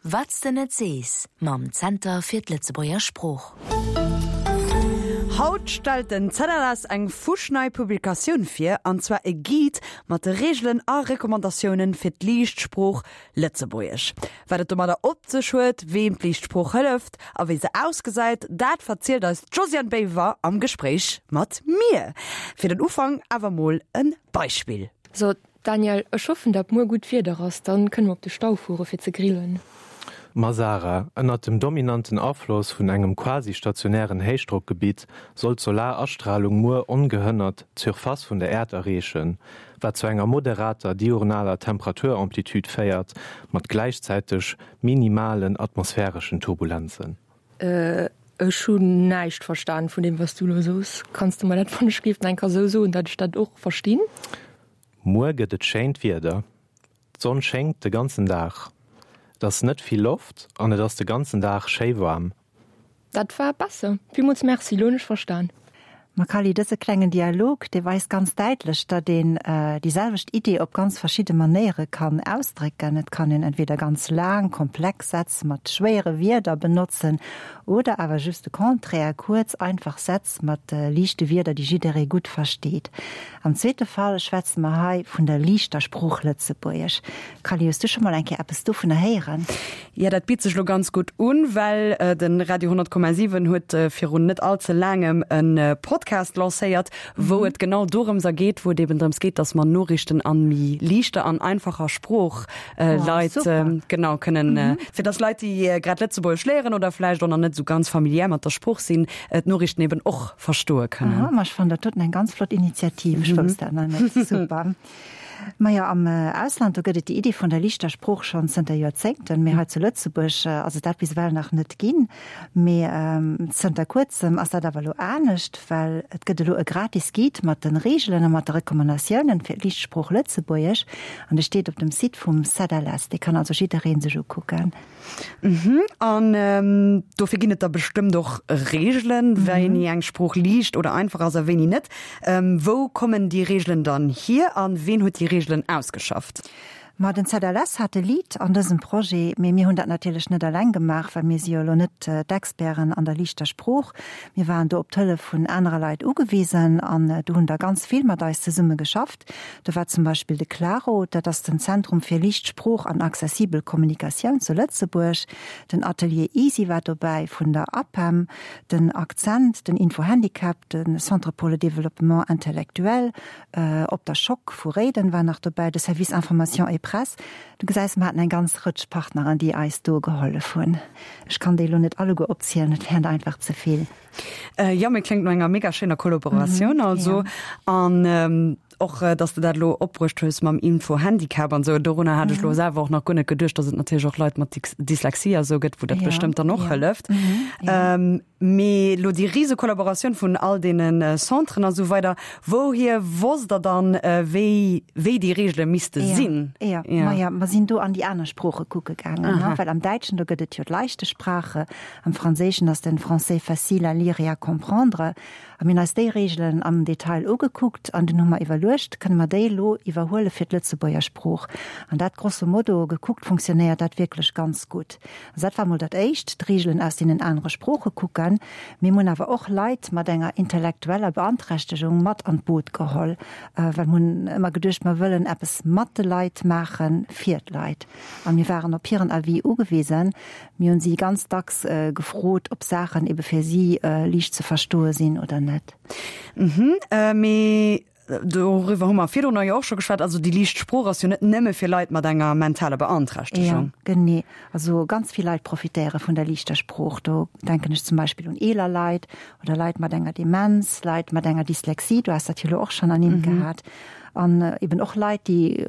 Wat s de net sees mam Zenter fir d'Lëtzebuerger Sprooch. Haut stellt den ZLS eng fuschnei Publikatioun vir, an zwar e Guide mat de Reegelen a Recommandatiounen fir d'Liicht Sprooch Lëtzebuergesch. Wat et domadder op sech huet, weem d'Liicht Sprooch hëlleft a wéi se ausgesäit, dat verzielt eis d'Josiane Boever am Gespréich mat mir. Fir den Ufank awer mol e Beispill. So, Daniel, ech hoffen dat muer gutt Wieder ass, dann kënne mer op de Stau fuere fir ze grillen. Ma Sarah, ënnert dem dominanten Afloss vun engem quasi-stationären Héichdrockgebitt soll d'Solarastralung muer ongehënnert d'Surface vun der Äerd erreechen, wat zu enger moderater diurnaler Temperaturamplitude féiert, mat gläichzäiteg minimalen atmosphäreschen Turbulenzen. Ech hunn näischt verstan vun deem wat s du elo soos. Kanns de mer dat wann ech géif nach eng Kéier esou soen, dat ech dat och verstinn? Muer gëtt et schéint Wieder. D'Sonn schéngt de ganzen Dag. Et ass net vill Loft an et ass de ganzen Dag schéi waarm. Dat war besser. Villmools Merci, lo hunn ech verstan. Ma Kally, dëse klengen Dialog, dee weist ganz däitlech, datt een déi selwecht Idee op ganz verschidde Manéiere kann ausdrécken. Et kann een entweder ganz laang, komplex Sätz mat schwéiere Wierder benotzen oder awer just de Contraire, kuerz, einfach Sätz mat liichte Wierder, déi jidderee gutt versteet. Am zweete Fall schwätze mer hei vun der liichter Sprooch Lëtzebuergesch. Kally, hues du scho mol eng Kéier eppes dovunner héieren? Jo, dat bitt sech lo ganz gutt un, well de Radio 100,7 huet virun net all ze laangem e Podcast lancéiert, wou et genau dorëms a geet, wou et eben drëms geet, dass mer Noriichten an méi liichter an einfacher Sprooch Leit genau kënnen, fir dass Leit, déi grad Lëtzebuergesch léieren oder vläicht och nach net esou ganz familiär mat der Sprooch sinn, d'Noriichten eben och verstoe kënnen. Aha, ma ech fannen dat doten eng ganz flott Initiativ. Ech wousst dat nach net. Super. Majo, am Ausland, do gëtt et déi Iddi vun der liichter Sprooch schonn zënter Joerzéngten, mee hei zu Lëtzebuerg ass et dat bis ewell nach net ginn. Mee zënter kuerzem ass dat awer elo anescht, well et gëtt elo e gratis Guide mat de Reegelen a mat de Recommandatiounen fir d'liicht Sprooch Lëtzebuergesch an dee steet op dem Site vum ZLS. Dee kann also jidderee sech ukucken. Mhm. An dofir ginn et da bestëmmt och Reegelen, wéini eng Sprooch liicht oder einfach ass a wéini net. Wou kommen déi Reegelen dann hier a ween huet déi Reegelen ausgeschafft? Ma den ZLS hat de Lead an dësem Projet, mee mir hunn dat natierlech net eleng gemaach, well mir si jo elo net d'Experten an der liichter Sprooch. Mir waren do op d'Hëllef vun anere Leit ugewisen an do hunn der ganz vill mat eis zesumme geschafft. Do war zum Beispill de CLARO, dat ass den Zentrum fir liicht Sprooch an accessibel Kommunikatioun zu Lëtzebuerg, den Atelier Easy war dobäi vun der APEM, den Akzent, den Info-Handicap, de Centre pour le développement intellectuel op der Schock vu Réiden war nach dobäi, de Service Information et Presse. Du gesäis, mer haten eng ganz Rëtsch Partneren, déi eis do gehollef hunn. Ech kann déi elo net alleguer opzielen, et wären der einfach ze vill. Jo, mee kléngt no enger mega schéiner Kollaboratioun also. An och, dass de dat elo opbruecht hues mam Info-Handicap an esou, dorunner hat ech elo selwer och nach guer net geduecht, dass et natierlech och Leit mat Dyslexie a sou gëtt, wou dat bestëmmt dann och hëlleft. Mee elo déi rise Kollaboratioun vun all deene Centren a sou weider, wouhier wosst der dann, wéi wéi déi Reegele misste sinn? Jo, maja, mer sinn do an déi aner Sprooche kucke gaangen, well am Däitschen, do gëtt et jo d'Leichte Sprache, Am Franséischen ass den Français facile à lire et à comprendre. A mir hunn eis déi Reegelen am Detail ugekuckt an dunn hu mer iwwerluecht, kënne mer déi elo iwwerhuele fir d'Lëtzebuerger Sprooch? An dat grosso modo gekuckt funktionéiert dat wierklech ganz gutt. Also dat war mol dat Éischt, d'Reegelen aus deenen anere Sprooche kucken. Mir hunn awer och Leit mat enger intellektueller Beanträchtegung mat an d'Boot geholl, well mir hunn ëmmer geduecht, mer wëllen eppes mat de Leit maache fir d'Leit. A mir waren op hiren Avis ugewisen. Mir hunn si ganz dacks gefrot, ob Saachen ebe fir si liicht ze verstoe sinn oder net. Mhm, mee doriwwer hu mer virdrun jo och scho geschwat. Also déi liicht Sprooch ass jo net nëmme fir Leit mat enger mentaler Beanträchtegung. Jo, genee. Also ganz vill Leit profitéiere vun der liichter Sprooch. Do denken ech zum Beispill un eeler Leit oder Leit mat enger Demenz, Leit mat enger Dyslexie, du has dat jo elo och schonn ernimmt gehat. An eben och Leit, déi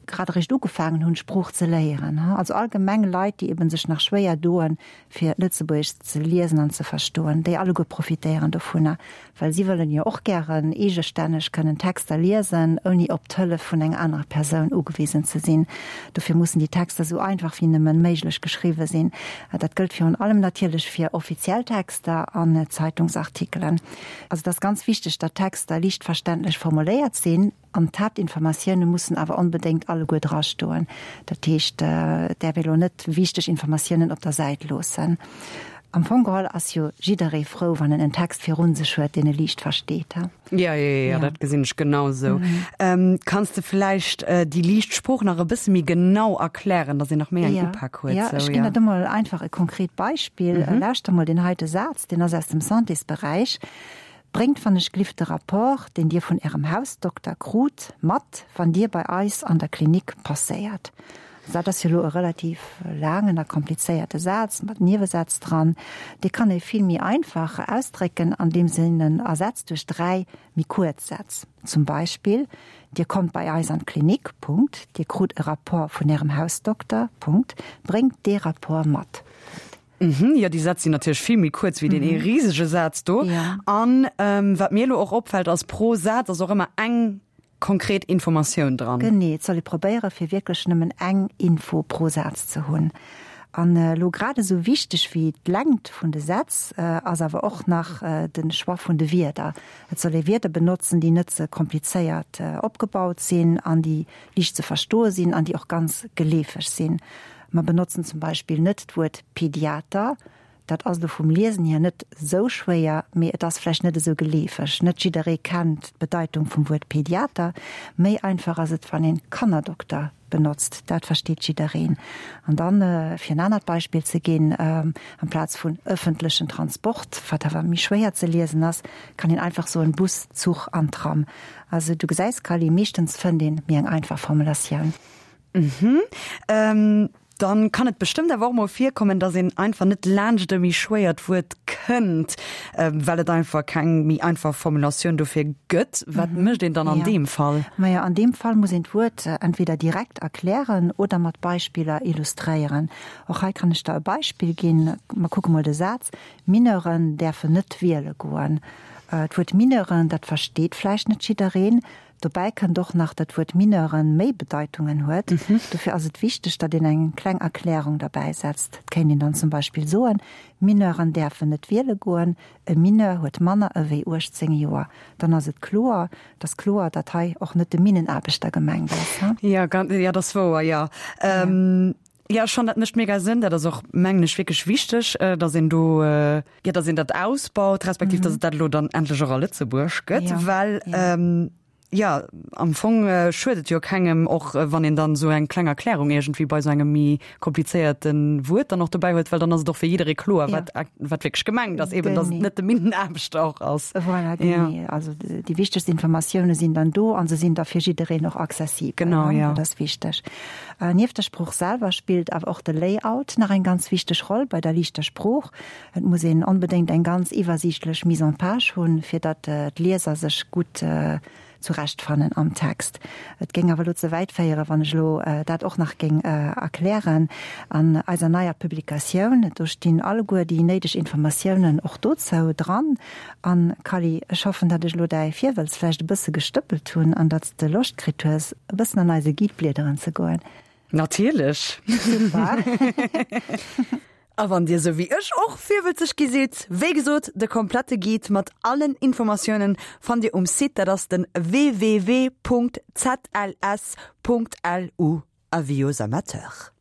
grad eréischt ugefaangen hunn, d'Sprooch ze léieren. Also allgemeng Leit, déi eben sech nach schwéier doen, fir Lëtzebuergesch ze liesen an ze verstoen, déi alleguer profitéieren dovunner, well si wëllen jo och gären eegestänneg kënnen Texter liesen, ouni op d'Hëllef vun enger anerer Persoun ugewisen ze sinn. Dofir mussen déi Texter esou einfach wéi nëmmen méiglech geschriwwe sinn. Dat gëllt virun allem natierlech fir offiziell Texter an Zeitungsartikelen. Also et ass ganz wichteg, datt Texter liicht verständlech formuléiert sinn. An d'Haaptinformatioune mussen awer onbedéngt alleguer drastoen. Dat heescht, et däerf ee lo net wichteg Informatiounen op der Säit loossen. Am Fong geholl ass jo jidderee frou, wann en en Text virun sech huet, deen e liicht versteet. Ja, ja, ja, dat gesinn ech genau esou. Kanns de vläicht déi liicht Sprooch nach e bësse méi genau erklären, datt een nach méi eng Upak huet? Ja, ech ginn der do mol einfach e konkret Beispill. Lauschter mol deen heite Saz, deen ass aus dem Santésberäich. Bréngt wann ech glift de Rapport, deen Dir vun Ärem Hausdokter krut, mat, wann Dir bei eis an der Klinik passéiert. Dat ass jo elo e relativ laangen a komplizéierte Saz mat Niewesätz dran. Dee kann ee vill méi einfach ausdrécken, andeems een en ersetzt duerch 3 méi kuerz Sätz. Zum Beispill, Dir kommt bei eis an d'Klinik, Punkt. Dir krut e Rapport vun Ärem Hausdokter, Punkt. Bréngt dee Rapport mat, Punkt. Mhm, jo, déi Sätz sinn natierlech vill méi kuerz wéi deen ee risege Saz do. An wat mir elo och opfält, ass, pro Saz ass och ëmmer eng konkret Informatioun dran. Genee, et soll ee probéiere fir wierklech nëmmen eng Info pro Saz ze hunn. An elo grad esou wichteg wéi d'Längt vun de Sätz ass awer och nach de Choix vun de Wierder. Et soll ee Wierder benotzen, déi net ze komplizéiert opgebaut sinn an déi liicht ze verstoe sinn an déi och ganz geleefeg sinn. Mer benotzen zum Beispill net d'Wuert Pediater. Dat ass elo vum Liesen hier net esou schwéier, mee et ass vläicht net esou geleefeg. Net jidderee kennt d'Bedeitung vum Wuert Pediater. Méi einfach ass et, wann een Kannerdokter benotzt. Dat versteet jiddereen. An dann, fir en anert Beispill ze ginn, amplaz vun ëffentlechen Transport, wat awer méi schwéier ze liesen ass, kann een einfach soen Bus, Zuch an Tram. Also du gesäis, Kally, meeschtens fënnt een méi eng einfach Formulatioun. Mhm. Dann kann et bestëmmt awer och mol virkommen, dass een einfach net laanscht e méi schwéiert Wuert kënnt, well et einfach keng méi einfach Formulatioun dofir gëtt. Wat mécht een dann an deem Fall? Majo, an deem Fall muss een d'Wuert entweder direkt erklären oder mat Beispiller illustréieren. Och hei kann ech der e Beispill ginn. Mer kucke mol de Saz, Mineuren däerfen net wiele goen. D'Wuert Mineuren, dat versteet vläicht net jiddereen. Dobäi kënnt och nach, datt d'Wuert Mineuren méi Bedeitungen huet. Dofir ass et wichteg, datt een eng kleng Erklärung derbäi setzt. Et kéint een dann zum Beispill soen, Mineuren däerfen net wiele goen, e Mineur huet manner ewéi 18 Joer. Dann ass et kloer, et ass kloer, datt hei och net de Minnenaarbechter gemengt ass. Jo, dat ass wouer, jo. Jo, schon, dat mécht mega Sënn. Dat ass och, mengen ech, wierklech wichteg, datt een do, jo, datt een dat ausbaut, respektiv datt et dat elo dann endlech och a Lëtzebuerg gëtt, well, jo, am Fong schuet et jo kengem, och wann een dann esou eng kleng Erklärung iergendwéi bei esou engem méi komplizéierte Wuert dann och dobäi huet, well dann ass et och fir jidderee kloer, wat, wat wierklech gemengt ass, eben datt et net de Minnenaarbechter och ass. Voilà, genee. Also déi wichtegst Informatioune sinn dann do a se sinn da fir jiddereen och accessibel. Genau, jo. Dat ass wichteg. Nieft der Sprooch selwer spillt awer och de Layout nach eng ganz wichteg Roll bei der liichter Sprooch. Et muss een onbedéngt eng ganz iwwersiichtlech Mise en page hunn, fir datt d'Lieser sech gutt zurechtfannen am Text. Et géing awer elo ze wäit féieren, wann ech elo dat och nach géing erklären. An eiser neier Publikatioun, do stinn alleguer déi néideg Informatiounen och dozou dran. An, Kally, ech hoffen, datt ech elo däi Virwëlz vläicht e bësse gestëppelt hunn an datt s de Loscht kritt hues, e bëssen an eise Guide bliederen ze goen. Natierlech! Super! A wann dir sou wéi ech och virwëlzeg gi sidd, wéi gesot, de komplette Guide mat allen Informatiounen fannt dir um Site, dat ass den www.zls.lu. Avis aux amateurs.